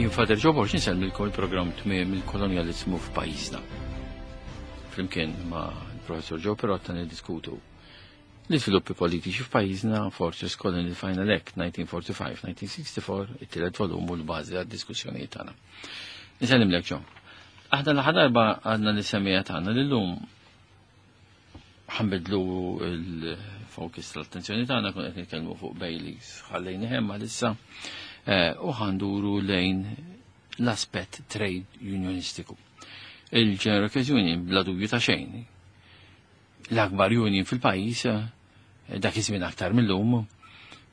Jien Father Joe Borg insellmilkom il-programm Tmiem il-Kolonjaliżmu f'pajjiżna. Flimkien ma' l-Professor Joe Perotta niddiskutu l-iżviluppi politiċi f'pajjiżna Fortress Colony Final Act 1945-1964, it-tielet volum u l-bażi għad-diskussjonijiet tagħna. Nisellimlek Joe. Aħna l-aħħar darba għadna l-semija tagħna li llum ħanbidlu il-fokus tal-attenzjoni tagħna kun qed nitkellmu fuq Baileys ħallejni hemm għalissa eh, u ħanduru lejn l-aspett trade unionistiku. Il-General Workers Union bla dubju ta' xejn. L-akbar union fil-pajjiż eh, dak iż-żmien aktar mill-lum,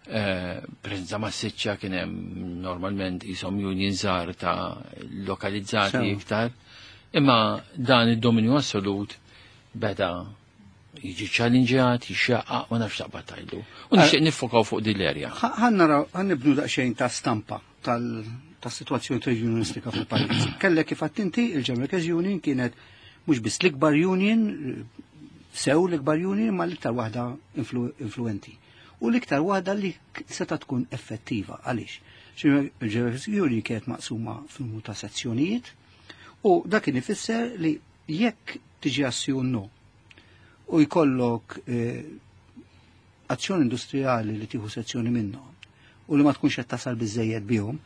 eh, preżenza massiċċa kien hemm normalment ishom union żgħar ta' lokalizzati iktar, imma dan id-dominju assolut beda jiġi ċallinġjat, jixxaqqaq, ma nafx taqbad tajlu. U nixtieq nifokaw fuq din l-erja. Ħa naraw, ħa nibnu daqsxejn ta' stampa tal-situazzjoni trade unionistika fil-pajjiż. Kellek kif inti il-General Workers Union kienet mhux biss l-ikbar union, sew l-ikbar union, ma l-iktar waħda influenti. U l-iktar waħda li seta' tkun effettiva. Għaliex? Il-General Workers Union kienet maqsuma f'numru ta' sezzjonijiet u dak kien ifisser li jekk tiġi azzjon no u jkollok eh, azzjoni industrijali li tieħu sezzjoni minnhom u li ma tkunx qed tasal biżejjed bihom,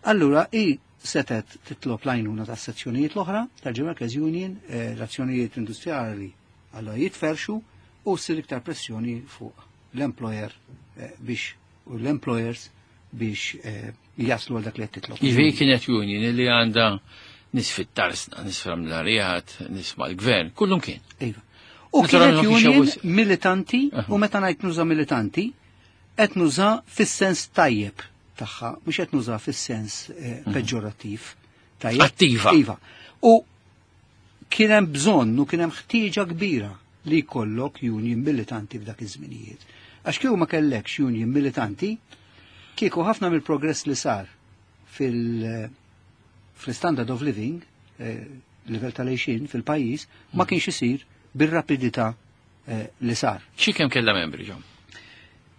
allura i setet titlob l-għajnuna tas sezzjonijiet l-oħra tal-General Workers Union, eh, l-azzjonijiet industrijali allura jitferxu u ssir iktar pressjoni fuq l-employer eh, biex u l-employers biex jaslu għal dak li qed titlob. Jiġifieri kienet union li għandha nies fit-tarsna, nies fl-amlarijat, nies mal-gvern, kullum kien. Iva. U kienet union militanti, u meta ngħid nuża militanti, qed nuża fis-sens tajjeb tagħha, mhux qed nuża fis-sens eh, peġġorattiv. Tajjeb. Attiva. Iva. U kien hemm bżonn u kien hemm ħtieġa kbira li jkollok union militanti f'dak iż-żminijiet. Għax kieku ma kellekx union militanti, kieku ħafna mill-progress li sar fil- fl-standard of living, eh, livell tal-għixin fil-pajjiż, ma kienx isir bir-rapidità eh, li sar. Xi kemm kellha membri ġom?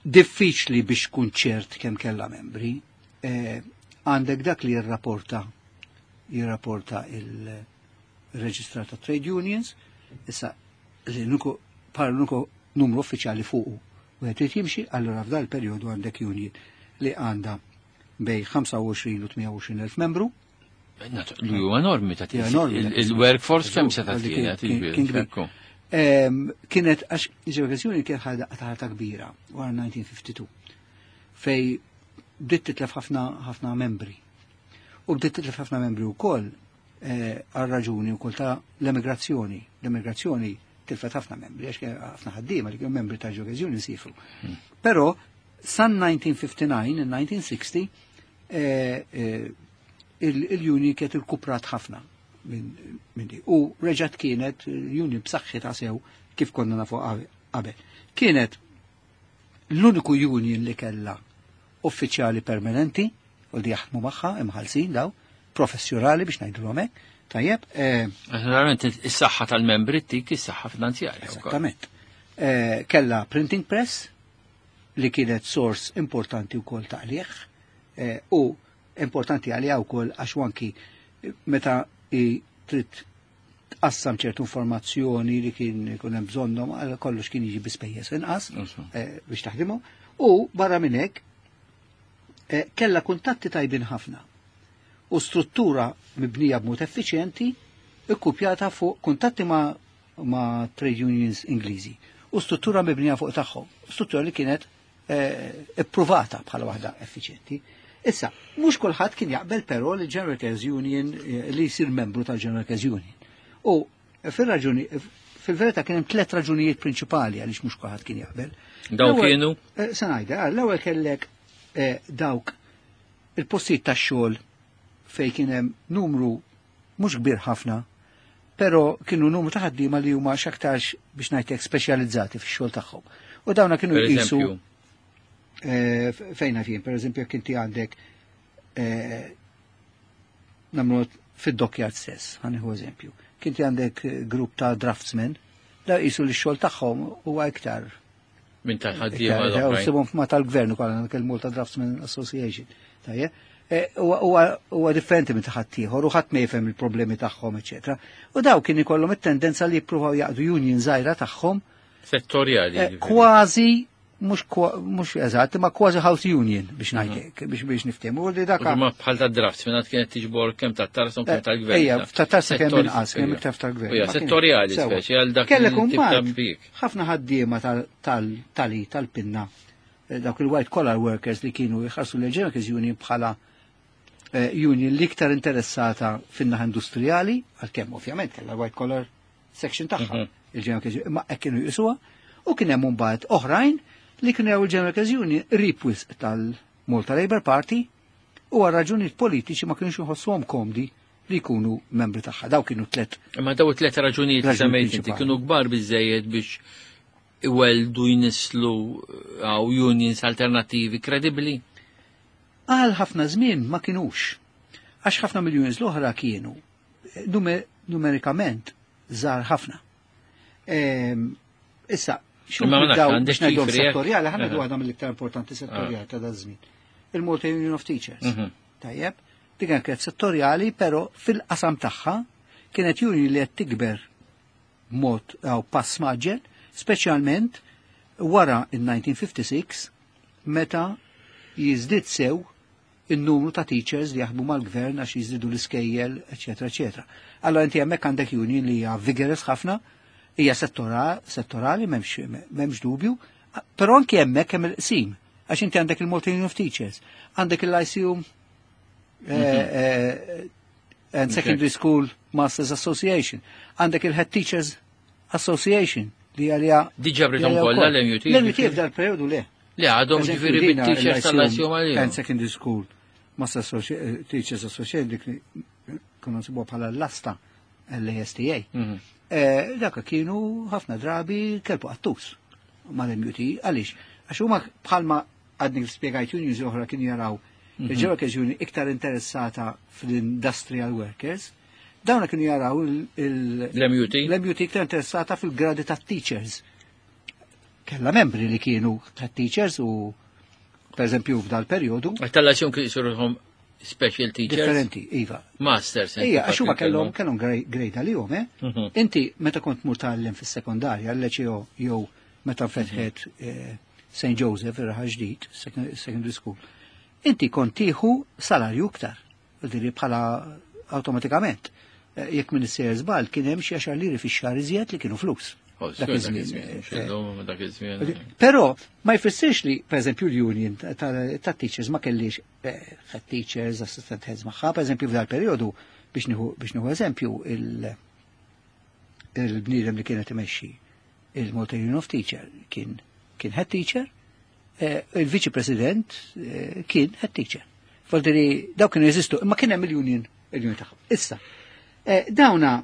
Diffiċli biex tkun ċert kemm kellha membri. Eh, għandek dak li jirrapporta jirrapporta il-Reġistrar ta' Trade Unions, issa li nuku bħala l-uniku numru uffiċjali fuqu. U qed irid jimxi, allura f'dal perjodu għandek union li għandha bejn 25 u 28 elf membru. Li huwa enormi ta' il-workforce kemm se ta' kienet. Kienet għax ġeografjoni kien ħadha ħata kbira wara 1952 fej bdiet titlef ħafna ħafna membri. U bdiet titlef ħafna membri wkoll eh, għal raġuni wkoll ta' l-emigrazzjoni. L-emigrazzjoni tilfet ħafna membri, għax ħafna ħaddiema li kienu membri ta' ġeografjoni sifru. Però san 1959, 1960, eh, eh, il-union kienet irkuprat ħafna minn di. U reġat kienet l-union b'saħħitha sew kif konna nafu qabel. Kienet l-uniku union li kella uffiċjali permanenti u li jaħdmu magħha imħallsin daw, professjonali biex ngħidulhom hekk. Tajjeb. Eh, Naturalment is-saħħa tal-membri tik is-saħħa finanzjarja. Esattament. Eh, kella printing press li kienet sors importanti wkoll ta' qligħ eh, u importanti għalija wkoll għax anki meta trid tqassam ċertu informazzjoni li kien ikun hemm bżonnhom għal kollox kien jiġi bi spejjeż inqas biex taħdimhom. U barra minn hekk kellha kuntatti tajbin ħafna u struttura mibnija b'mod effiċjenti ikkupjata fuq kuntatti ma', ma trade unions Ingliżi u struttura mibnija fuq tagħhom, struttura li kienet eh, ippruvata bħala waħda effiċjenti. Issa, mhux kulħadd kien jaqbel però li General Workers Union eh, li jsir membru tal-General Workers Union. U fil-raġuni, fil-verità kien hemm tliet raġunijiet prinċipali għaliex mhux kulħadd kien jaqbel. Daw kienu? Eh, se ngħidha, l-ewwel kellek dawk il-postijiet tax-xogħol fej kien hemm numru mhux kbir ħafna, però kienu numru ta' ħaddiema li huma x'aktarx biex ngħidlek speċjalizzati fix-xogħol tagħhom. U dawna kienu jqisu eh, fejna fien, per eżempju, jekk inti għandek eh, nagħmlu fid-dockyard stess, ħa nieħu eżempju. Kinti għandek grupp ta' draftsmen, da jisu li x-xogħol tagħhom huwa iktar Minn ta' ħaddiema l-oħrajn. Sibhom ma tal-gvern ukoll anke il-Malta Draftsmen Association. Tajjeb. Huwa differenti minn ta' ħaddieħor u ħadd ma jifhem il-problemi tagħhom, eċetera. U daw kien ikollhom it-tendenza li jippruvaw jaqdu union żgħira tagħhom Settorjali. Kważi mhux eżatt, ma kważi house union biex ngħidlek, biex niftehmu. U li daka Ma bħal ta' draft, minn kienet tiġbor kemm ta' tarsa u kemm tal-gvern. Ejja, ta' tarsa kemm inqas, kemm iktar tal-gvern. Ejja, settorjali speċi għal dak Kellek il-tip ta' imbagħad impjieg. ħafna ħaddiema tal-tali tal-pinna, dawk il-white collar workers li kienu jħarsu l-General Workers Union bħala union l-iktar interessata fin-naħa industrijali, għalkemm ovvjament kellha white collar section tagħha, il-General Workers Union, imma hekk kienu jqisuha, u kien hemm imbagħad oħrajn li kienu jaraw il-General Workers Union qrib wisq tal-Malta Labour Party u għal raġunijiet politiċi ma kienux jħossuhom komdi li jkunu membri tagħha. Daw kienu tliet. Imma daw tliet raġunijiet li Raġunijiet semmejt inti prinċipali. kienu kbar biżejjed biex iweldu jnislu għaw unions alternattivi kredibbli? Għal ħafna żmien ma kinux. Għax ħafna mill-unions l-oħra kienu numerikament żgħar ħafna. Issa, xu Imma ma nafx, daw għandek biex ngħidhom ċifri, eh? settorjali, ħa ngħidu waħda mill-iktar importanti settorjali ta' daż-żmien. Il-Malta Union of Teachers. Tajjeb, dik kienet settorjali, però fil-qasam tagħha kienet union li qed tikber mod għaw pass maġġel, speċjalment wara in-1956 meta jiżdied sew in-numru ta' teachers li jaħdmu mal-gvern għax jiżdiedu l-iskejjel, eċetera, eċetera. Allora inti hemmhekk għandek union li hija vigorous ħafna, hija settorali, m'hemmx dubju, però anki hemmhekk hemm il-qsim, għax inti għandek il-Malta Union of Teachers, għandek il-Lyceum and Secondary School Masters Association, għandek il-Head Teachers Association li għalija Diġà britom li għalija kollha wkoll. l-MUT, L-MUT ġifieri. f'dal periodu le. Li għadhom Eżempju, ġifieri dina bit-teachers il-Lyceum tal-Lyceum għalihom. And Secondary School Masters Teachers Association dik li konna nsibuha bħala l-asta l-ASTA. Dak kienu ħafna drabi kelbu qattus mal-MUT. Għaliex? Għax huma bħalma għadni spjegajt unions oħra kienu jaraw il-General Workers Union iktar interessata fl-industrial workers, dawna kienu jaraw L-MUT? l-MUT iktar interessata fil-gradi ta' teachers. Kella membri li kienu ta' teachers u per eżempju f'dal periodu. Għax tal-Lyceum kienu jisiruhom special teachers. Differenti, iva. Masters. Ija, għax huma kellhom grade għalihom, eh? Inti meta kont mur tgħallem fis-sekondarja, l-liceo jew meta fetħet St. Joseph, ir-raħal ġdid, secondary school, inti kont tieħu salarju iktar, diri bħala automatikament. Jekk minn is-sejjer żball kien hemm xi għaxar liri fix-xahar iżjed li kienu flus. Oh, Dak dak iż-żmien, iż-żmien, mhux illum, dak iż-żmien. Però ma jfissirx li, per eżempju, l-union ta' teachers ma kellix head teachers, assistant heads magħha, per eżempju, f'dal periodu, biex nieħu eżempju, il-bniedem li kienet imexxi il-Malta Union of Teacher kien head teacher, il-viċi president kien head teacher. Voldiri, daw kienu jeżistu, imma kien hemm il-union tagħhom. Issa, dawna,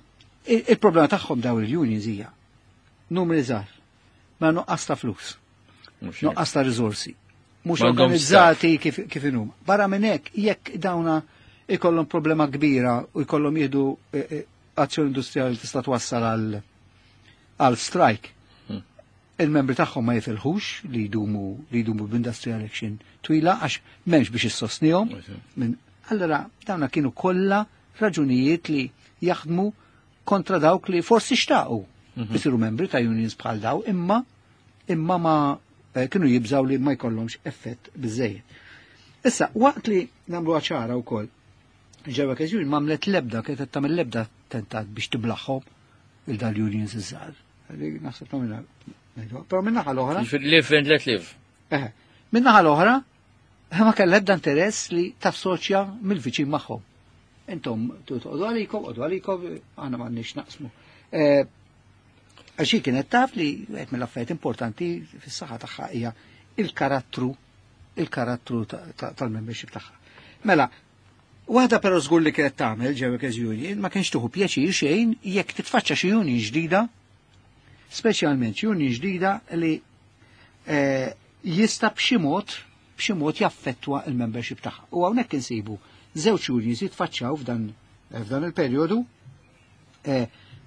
il-problema tagħhom daw il-unions hija numri żgħar, ma nuqqas ta' flus, Mhux nuqqas ta' riżorsi, mhux M'għandhomx organizzati staff. kif inhuma. Barra minn hekk, jekk dawna ikollhom problema kbira u jkollhom jieħdu azzjoni industrijali tista' twassal għal strike. Il-membri tagħhom ma jifilħux li jdumu b'industrial action twila għax m'hemmx biex issostnihom. Allora dawna kienu kollha raġunijiet li jaħdmu kontra dawk li forsi xtaqu isiru membri ta' unions bħal daw, imma ma kienu jibżaw li ma jkollhomx effett biżejjed. Issa, waqt li nagħmlu ċara wkoll, ġewwa Workers Union m'għamlet lebda, kienet tagħmel lebda tentat biex tiblaħħom il dal unions iż-żgħar. Naħseb tagħmilha ngħidu. Però minn naħa l-oħra. Jiġifieri live and let live. Eħe. Minn naħa l-oħra, ma kellha ebda interess li tassoċja mill-viċin magħhom. Intom toqgħodu għalikom, qodu għalikom, aħna m'għandniex naqsmu. Għax hi kienet taf li wieħed mill-affarijiet importanti fis-saħħa tagħha hija il-karattru tal-membership tagħha. Mela, waħda però żgur li kienet tagħmel ġewwa Workers Union ma kienx tieħu pjaċir xejn jekk titfaċċa xi union ġdida, speċjalment union ġdida li jista' b'xi mod jaffettwa il-membership tagħha. U hawnhekk insibu żewġ unions jitfaċċaw f'dan il-perjodu.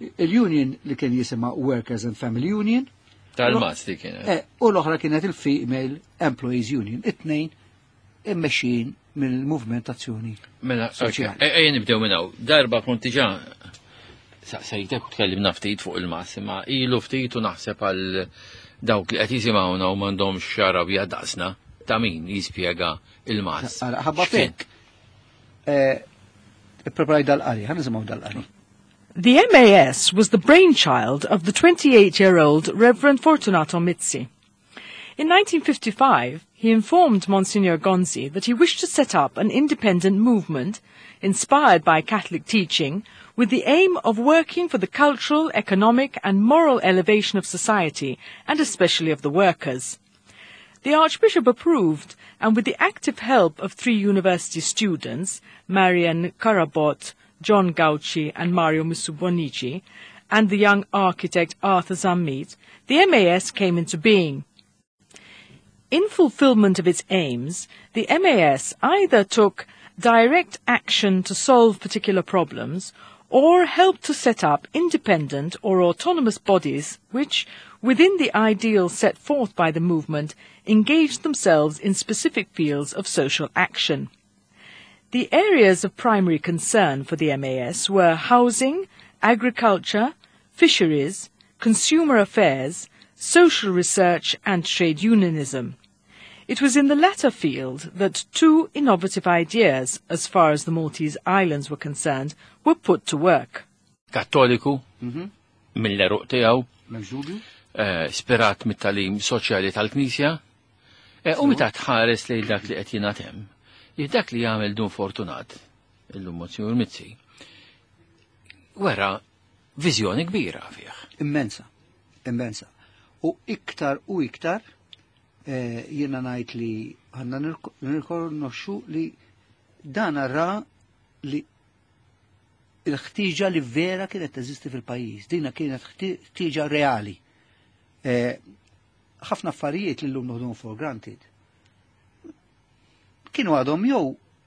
Il-union li kien jisimha Workers and Family Union. Tal-Masti kienet. U l-oħra kienet il-Female Employees Union. It-tnejn immexxin mill-movement azzjoni. Mela, Soċjali. Ejja nibdew minn hawn. Darba kont diġà saqsejtek u tkellimna ftit fuq il-MAS, imma ilu ftit u naħseb għal dawk li qed jisimgħuna u m'għandhomx xarabja daqsna ta' min jispjega il-MAS. Ara, ħabba X'kien? fek. Ippreparaj dal-qari, ħa nisimgħu dal-qari. The MAS was the brainchild of the 28-year-old Reverend Fortunato Mizzi. In 1955, he informed Monsignor Gonzi that he wished to set up an independent movement inspired by Catholic teaching with the aim of working for the cultural, economic and moral elevation of society and especially of the workers. The Archbishop approved, and with the active help of three university students, Marian Carabott, John Gauci and Mario Mifsud Bonnici, and the young architect Arthur Zammit, the MAS came into being. In fulfillment of its aims, the MAS either took direct action to solve particular problems or helped to set up independent or autonomous bodies which, within the ideals set forth by the movement, engaged themselves in specific fields of social action. The areas of primary concern for the MAS were housing, agriculture, fisheries, consumer affairs, social research and trade unionism. It was in the latter field that two innovative ideas, as far as the Maltese Islands were concerned, were put to work. Kattoliku, mill-għeruq tiegħu, M'hemmx dubju? spirat mit-tagħlim soċjali tal-Knisja, u meta tħares lejn dak li qed jingħad hemm, li dak li jagħmel Dun Fortunat, illum Monsignor Mizzi, wera viżjoni kbira fih. Immensa, immensa. U iktar u iktar jiena ngħid li għandna nirkonoxxu li dan ra li il-ħtiġa li vera kienet teżisti fil-pajjiż, dina kienet ħtiġa reali. Ħafna affarijiet li llum noħduhom for granted kienu għadhom jew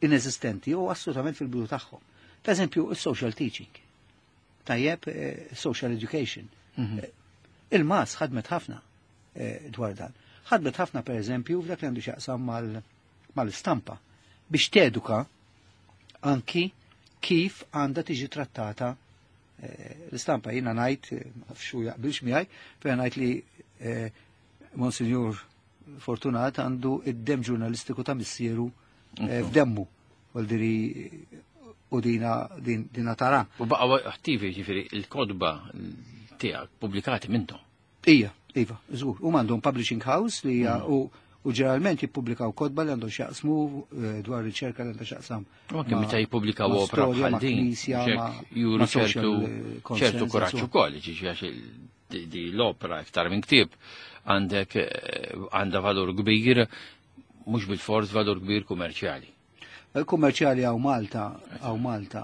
inesistenti jew assolutament fil-bidu tagħhom. Per eżempju, il-social teaching. Tajjeb, social education. Il-MAS ħadmet ħafna dwar dan. Ħadmet ħafna per eżempju f'dak li għandu x'jaqsam mal-istampa biex teduka anki kif għandha tiġi trattata l-istampa. Jiena ngħid, ma nafx hu jaqbilx miegħi, però ngħid li Monsignor Fortunat għandu id-dem ġurnalistiku ta' missieru f'demmu. Vuol u dina tara. U baqa attivi ġifieri il-kotba tiegħek pubblikati minnhom. Ija, iva, żgur. U għandhom publishing house li hija u ġeneralment jippubblikaw kotba li għandhom x'jaqsmu dwar riċerka li għandhom x'jaqsam. U anke meta jippubblikaw ma' opra storja, bħal ma' din, knisja, ġek juru ma' social, ċertu consensus, kuraġġ so. ukoll, ġifieri għax di l-opra iktar minn ktieb għandek għandha valur kbir, mhux bil-fors valur kbir kummerċjali. Kummerċjali hawn Malta, hawn Malta,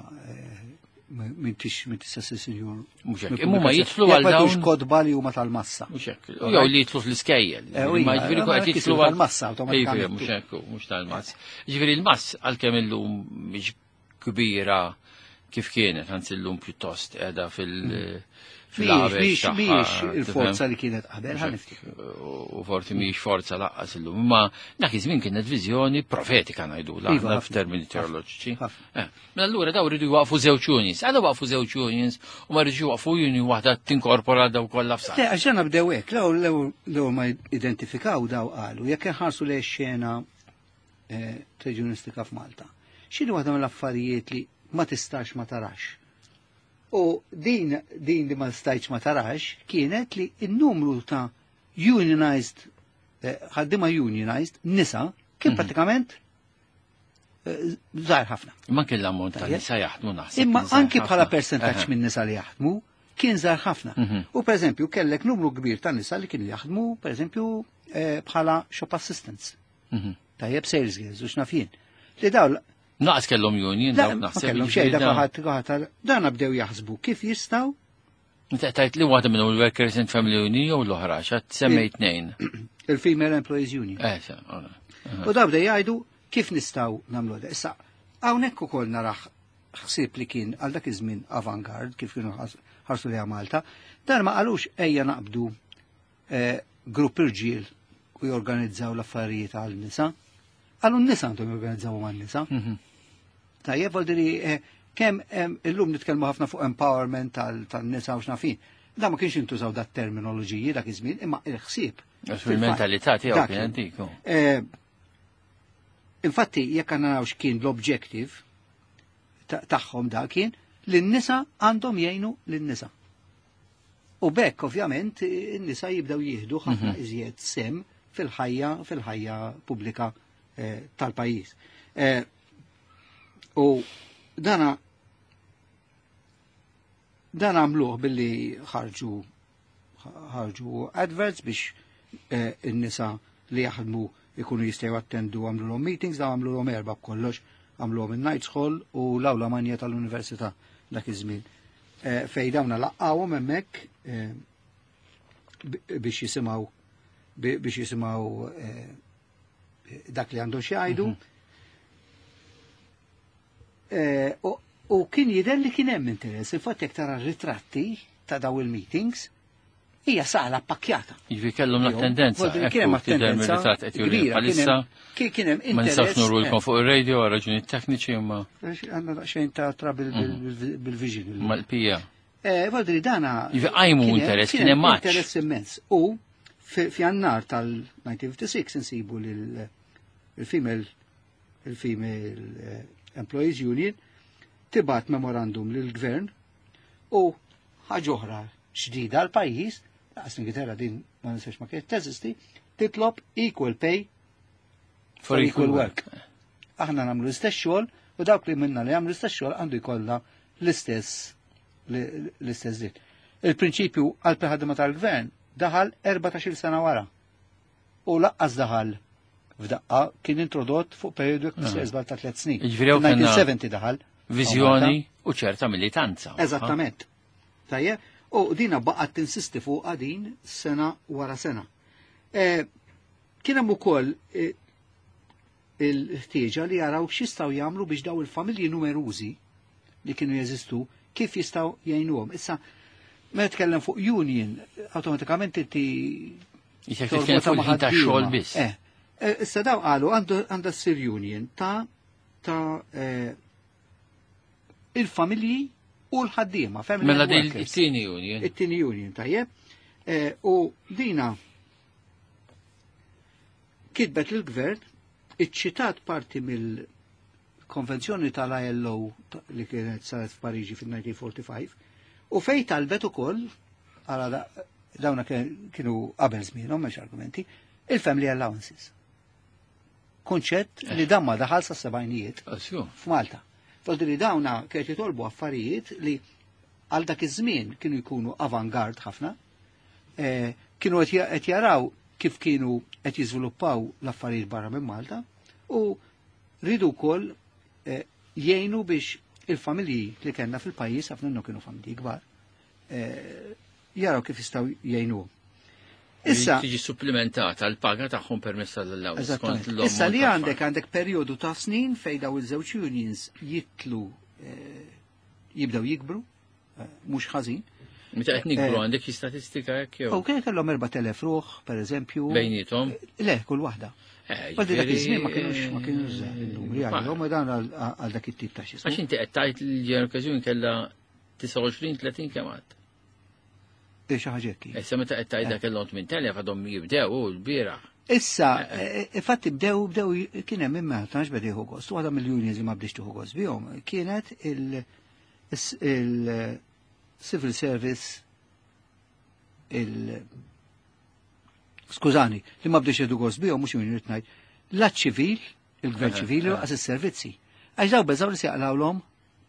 minn tista' ssir sinjur. Mhux hekk. Minn Imma huma pubblikazzjoni. jidħlu Jekk għal ma jkunx dawn kotba li huma tal-massa. Mhux hekk. Jew li jidħlu fl-iskejjel. U Ma hija, jiġifieri ma qed jidħlu jkunu għal tal-massa awtomatikament. Iva, mhux hekk, mhux tal-massa. Jiġifieri l-MAS għalkemm illum mhix kbira kif kienet, anzi llum pjuttost qiegħda fil-għabex tagħha, Mhijiex tifhem? il-forza li kienet qabel, Mhux ħa hekk, niftikru. U forsi mhijiex forza laqqas illum, imma dak iż-żmien kienet viżjoni profetika ngħidu Iva, aħna ħafna, f'termini ħafna, teoloġiċi. ħafna. Mela allura daw rridu jwaqfu żewġ unions, għala waqfu żewġ unions u ma rridux jwaqfu union waħda tinkorpora daw kollha f'saqq. Le, għax ġana bdew hekk, l-ewwel ma identifikaw daw qalu, jekk inħarsu lejn xena reġjonistika f'Malta. X'inhu waħda mill-affarijiet li ma tistax ma tarax? U din li ma stajtx ma tarax kienet li n-numru ta' unionized, ħaddiema unionized, nisa, kien pratikament żgħar ħafna. Imma kien l-ammont ta' Tajjeb. nisa jaħdmu naħseb. Imma kien żgħar anki bħala ħafna. percentaġġ minn nisa li jaħdmu, kien żgħar ħafna. U per eżempju, kellek numru kbir ta' nisa li kienu jaħdmu, per eżempju, bħala shop assistants. Tajjeb, sales girls, u x'naf jien. Li daw Naqas kellhom union, La, dawk ma naħseb kellhom jiġifieri xejn, dak dawn. ħadd dan bdew jaħsbu kif jistgħu. Inti tajt li waħda minnhom il-Workers and Family Union jew l-oħra, x'għad semmej tnejn. Il-Female Employees Union. Sa, ora. U daw bdew jgħidu kif nistgħu nagħmlu da. Issa, hawnhekk ukoll naraħ ħsieb li kien għal dak iż-żmien avangard kif kienu ħarsu li Malta, dan ma qalux ejja naqbdu grupp irġiel u jorganizzaw l-affarijiet għal nisa. Qalu n-nisa għandhom jorganizzaw man-nisa. Tajjeb, vuol dire kemm illum nitkellmu ħafna fuq empowerment tan-nisa u x'nafin. Da ma kienx intużaw dat terminoloġiji dak iż-żmien, imma il-ħsieb. Għax fil-mentalità tiegħu kien antiku. Infatti, jekk għandna naraw x'kien l-objective tagħhom da kien li n-nisa għandhom jgħinu lin-nisa. U bekk, ovvjament, n-nisa jibdew jieħdu ħafna iżjed sem fil-ħajja pubblika tal-pajjiż. U dana dan għamluh billi ħarġu adverts biex in-nisa li jaħdmu ikunu jistgħu attendu, għamlu meetings, da għamlu erba' b'kollox, għamluhom in-Knights Hall u l-Awla Manja tal-Università dak iż-żmien. Fej dawna laqgħuhom hemmhekk biex jisimgħu dak li għandhom xi jgħidu. U kien jidher li kien hemm interess, infatti jekk tara ritratti ta' daw il-meetings, hija sala pakkjata. Jiġifieri kellhom l-attendenza. Kien hemm attendenza kbira. Kien hemm Ma nistgħux nurulkom fuq ir-radio għal raġunijiet tekniċi imma. Għandna daqsxejn ta' trouble bil-vision. Mal-pija. Vuol dana. Jiġifieri qajmu interess, kien hemm interess immens. U f'Jannar tal-1956 insibu lil il-Female Employees Union tibgħat memorandum lill-gvern u ħaġa oħra ġdida l-pajjiż, laqas l-Ingilterra din ma nistax ma kienet teżisti, titlob equal pay for equal work. Aħna nagħmlu l-istess xogħol u dawk li minna li jagħmlu l-istess xogħol għandu jkollna l-istess dritt. Il-prinċipju għal ħaddiema tal-gvern daħal 14 sena wara. U laqqas daħal f'daqqa, kien introdott fuq periodu jekk ta' 3 snin. Jiġifieri 1970 daħal. Viżjoni u ċerta militanza. Eżattament. Tajjeb, u dina baqgħet tinsisti fuq din sena wara sena. Kien hemm ukoll il-ħtieġa li jaraw x'jistgħu jagħmlu biex daw il-familji numerużi li kienu jeżistu kif jistgħu jgħinuhom. Issa, meta tkellem fuq union, awtomatikament inti Jisek titkellem fuq il-ħin tax-xogħol biss. Issa daw qalu għandha ssir union ta' il-familji u l-ħaddiema, family Mela din workers. it-tieni union. It-tieni union, tajjeb. U dina kitbet lill-gvern, iċċitat parti mill-konvenzjoni tal-ILO li kienet saret f'Pariġi fil-1945, u fej talbet ukoll, għala dawna kienu qabel żmienhom, mhux argumenti, il-family allowances. Kunċett li dan ma daħal sa sebgħinijiet f'Malta. Fodri dawna kienet jitolbu affarijiet li għal dak iż-żmien kienu jkunu avangard ħafna, kienu qed jaraw kif kienu qed jiżviluppaw l-affarijiet barra minn Malta u ridu wkoll jgħinu biex il-familji li kellna fil-pajjiż, ħafna minnhom kienu familji kbar, jaraw kif jistgħu jgħinuhom. Issa tiġi supplementata l-paga tagħhom permezz tal-allowance. Eżattament. Skont l-ammont Issa li ta' għandek perjodu ta' snin fejn daw iż-żewġ unions jitlu jibdew jikbru, mhux ħażin. Meta qed nikbru għandek xi statistika hekk jew? Ok, kellhom 4000 ruħ, pereżempju. Bejnietom? Le, kull waħda. Għaldi dak iż-żmien ma kienux żgħar in-numri għalihom, u dan għal dak it-tip ta' xi Għax inti qed tgħid li l-General Workers Union kellha 29-30 kemm għad? Xi ħaġa hekk. Issa meta qed tgħidha kellhom 8000 għadhom jibdew u l-bieraħ. Issa, infatti bdew kien hemm imma tantx beda jieħu gost. Waħda mill-unions li ma bdiex tieħu gost bihom kienet il-Civil Service il skużani, li ma bdiex jieħdu gost bihom mhux union ngħid, la ċivil, il-gvern ċivili u qas is-servizzi. Għax daw beżaw li se jaqlawlhom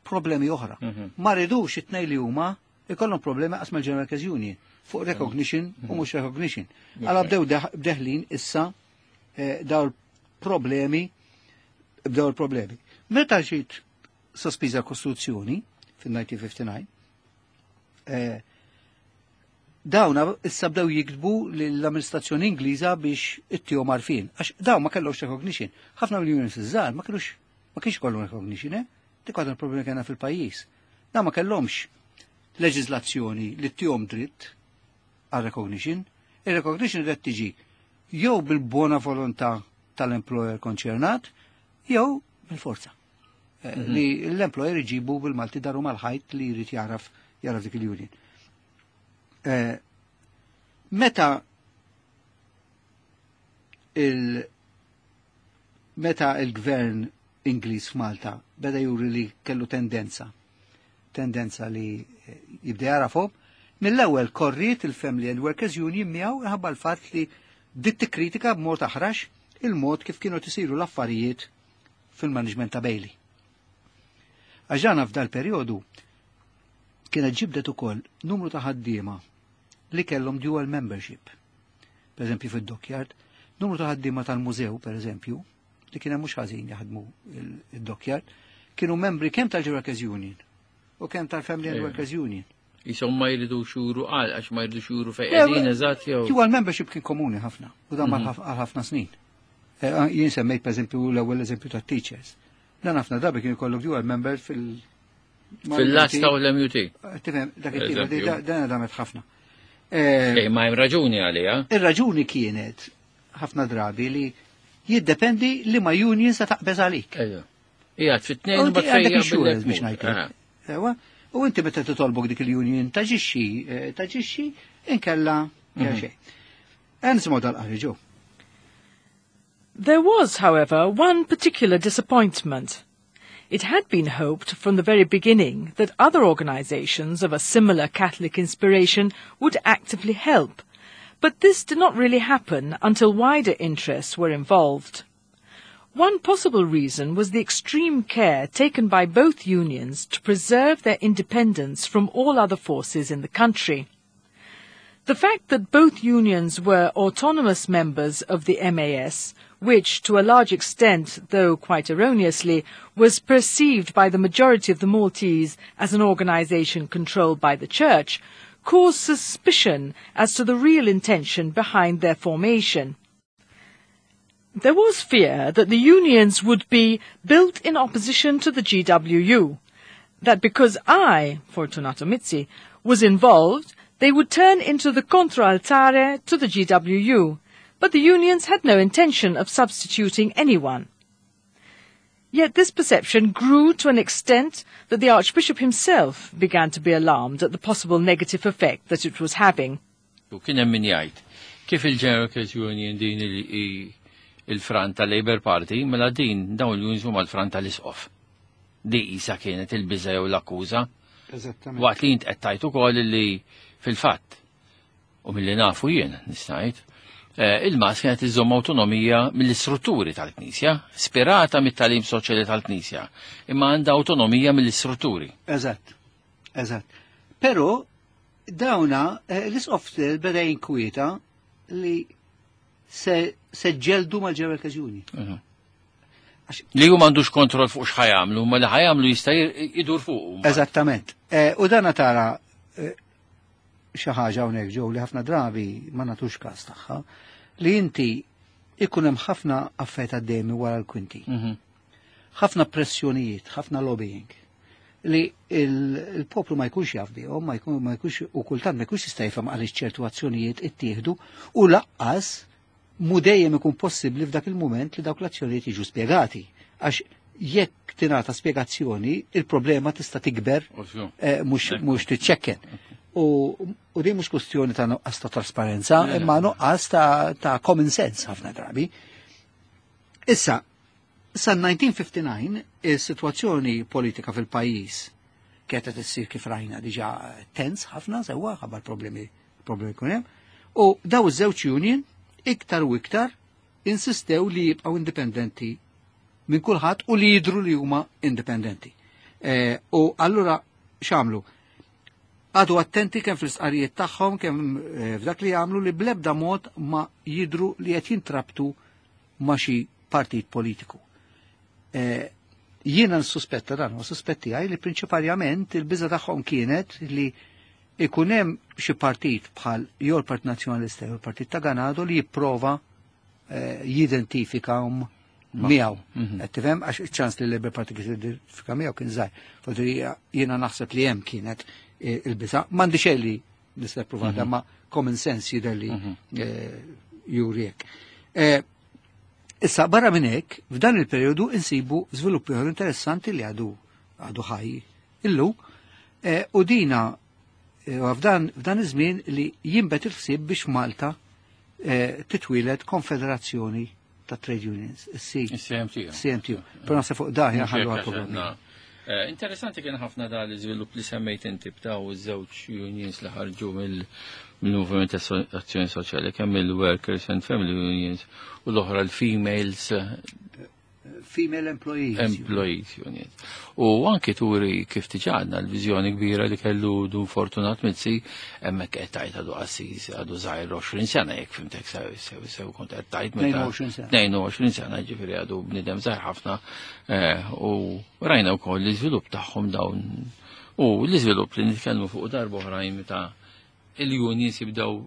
problemi oħra. Ma ridux it-tnejn li huma ikollhom problemi qas mal-General Workers Union fuq recognition u mhux recognition. Għala bdew deħlin issa daw il-problemi, bdew il-problemi. Meta ġiet sospiża l-Kostituzzjoni fil-1959, dawna issa bdew jiktbu l-amministrazzjoni Ingliża biex ittihom għarfien. Għax dawn ma kellhomx recognition. Ħafna mill-unions iż-żgħar ma kienx kollhom recognition? Dik għadha l-problemi kellna fil-pajjiż. Dawn ma kellhomx leġiżlazzjoni li ttihom dritt għal recognition. Il-recognition qed tiġi jew bil-buona volontà tal-employer konċernat jew bil-forza. Li l-employer iġibu bil-Malti daru mal-ħajt li jrid jaraf jaraf dik il-union. Meta il meta il-gvern Ingliż f'Malta beda juri li kellu tendenza li jibda jarafhom, mill-ewwel korriet il-Family and Workers Union miegħu ħabba l-fatt li bdiet tikkritika b'mod aħrax il-mod kif kienu tisiru l-affarijiet fil-management ta' Bailey. Għax f'dal perjodu kienet ġibdet ukoll numru ta' ħaddiema li kellhom dual membership. Per eżempju fid-dockyard, numru ta' ħaddiema tal-mużew, per eżempju, li kien hemm mhux ħażin jaħdmu il-dockyard, kienu membri kemm tal-Workers Union u kemm tal-Family and Workers Union. Jisom ma jridu xuru għal, għax ma jridu xuru fej qegħdin eżatt jew. Dual membership kien komuni ħafna u dan għal ħafna snin. Jien semmejt per eżempju l-ewwel eżempju tat-teachers. Dan ħafna drabi kien ikollok dual member fil- Fil-lasta u l-MUT. Tifhem, dak it-tip, dan damet ħafna. Ma hemm raġuni għaliha. Ir-raġuni kienet ħafna drabi li jiddependi li ma union se taqbeż għalik. Ija, fit-tnejn U inti għandek insurance biex ngħidlek. Ewa, u inti meta titolbok dik il-union taġixxi, taġixxi inkella xejn. Nisimgħu dal-qari ġew. There was, however, one particular disappointment. It had been hoped from the very beginning that other organizations of a similar Catholic inspiration would actively help, but this did not really happen until wider interests were involved. One possible reason was the extreme care taken by both unions to preserve their independence from all other forces in the country. The fact that both unions were autonomous members of the MAS, which to a large extent, though quite erroneously, was perceived by the majority of the Maltese as an organization controlled by the Church, caused suspicion as to the real intention behind their formation. There was fear that the unions would be built in opposition to the GWU, that because I, Fortunato Mizzi, was involved, they would turn into the contraltare to the GWU, but the unions had no intention of substituting anyone. Yet this perception grew to an extent that the Archbishop himself began to be alarmed at the possible negative effect that it was having. U kien hemm min jgħid kif il-General Workers Union din il-front ta' Labour Party, mela din dawn l-unions huma l-front tal-isqof. Di isa kienet il-biża jew l-akkuża. Waqt li int qed tgħid ukoll li fil-fatt u milli nafu jien nista' ngħid, il-MAS kienet iżomm awtonomija mill-istrutturi tal-Knisja, spirata mit-tagħlim soċjali tal-Knisja, imma għandha awtonomija mill-istrutturi. Eżatt, eżatt. Però dawna l-isqof beda jinkwieta li se ġeldu mal-General Workers Union. Li hu m'għandux kontroll fuq x'ħa jagħmlu, ma li ħa jagħmlu jista' jidur fuq. Eżattament. U dana tara xi ħaġa hawnhekk ġew li ħafna drabi ma nagħtux każ tagħha, li inti ikun hemm ħafna affarijiet għaddejmi wara l-kwinti. Ħafna pressjonijiet, ħafna lobbying li il-poplu ma jkunx jaf bihom, ma jkun, ma jkunx, u kultant ma jkunx jista' jifhem għaliex ċertu azzjonijiet ittieħdu u laqqas mu dejjem ikun possibbli f'dak il-mument li dawk l-azzjonijiet jiġu spjegati. Għax jekk tingħata spjegazzjoni, il-problema tista' tikber, mhux tiċċekken. U din mhux kwestjoni ta' nuqqas ta' trasparenza, imma nuqqas ta' common sense ħafna drabi. Issa, sa 1959 is-sitwazzjoni politika fil-pajjiż kienet qed issir kif rajna diġà tens ħafna sewwa ħabba problemi jkun hemm. U daw iż-żewġ union iktar u iktar insistew li jibqgħu indipendenti minn kulħadd u li jidhru li huma indipendenti. U allura x'għamlu? Għadu attenti kemm fl-istqarrijiet tagħhom, kemm f'dak li jagħmlu li bl-ebda mod ma jidhru li qed jintrabtu ma' xi partit politiku. Jiena nsuspetta dan, u suspetti għaj li prinċipalment il-biża tagħhom kienet li ikun hemm xi partit bħal jew il-Partit Nazzjonalista jew il-Partit ta' Ganado li jipprova jidentifikahom miegħu. Qed tifhem għax iċ-ċans li l-Labour Party kien jidentifika miegħu kien żgħir. Forsi jiena naħseb li hemm kienet il-biża. M'għandi xejn li nista' ppruvata, ma common sense jidher li juri hekk. Issa barra minn hekk, f'dan il-perjodu insibu żvilupp ieħor interessanti li għadu għadu ħaj illum eh, u dina eh, f'dan f'dan iż-żmien li jinbet il-ħsieb biex Malta eh, titwieled konfederazzjoni ta' trade unions, is CMTU. CMTU. Però naħseb fuq daħ ħallu għal Interessanti kien ħafna da l-iżvilupp li semmejt inti b'daw iż-żewġ unions li ħarġu mill-Moviment Azzjoni Soċjali, kemm il-Workers and Family Unions u l-oħra l-Females Female Employees. Employees Union. U anki turi kif tiġadna l-viżjoni kbira li kellu Dun Fortunat Mizzi, hemmhekk qed tajt għadu qassis għadu żgħir 20 sena jekk fimtek sew sew sew kont qed tajt meta 22 sena. 22 sena ġifieri għadu bniedem żgħir ħafna eh, u rajna wkoll l-iżvilupp tagħhom dawn u l-iżvilupp li nitkellmu fuq darba oħrajn meta il-unions jibdew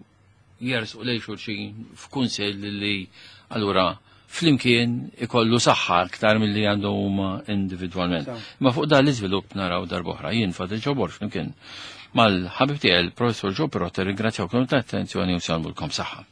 jersqu lejn xulxin f'kunsill li allura flimkien ikollu saħħa aktar milli għandhom huma individwalment. Ma fuq dan l-iżvilupp naraw darb'oħra. Jien Fadil Ġobor flimkien mal-ħabib tiegħi il-Professur Joe Pirotta ringrazzjawkom tal-attenzjoni u salmulkom saħħa.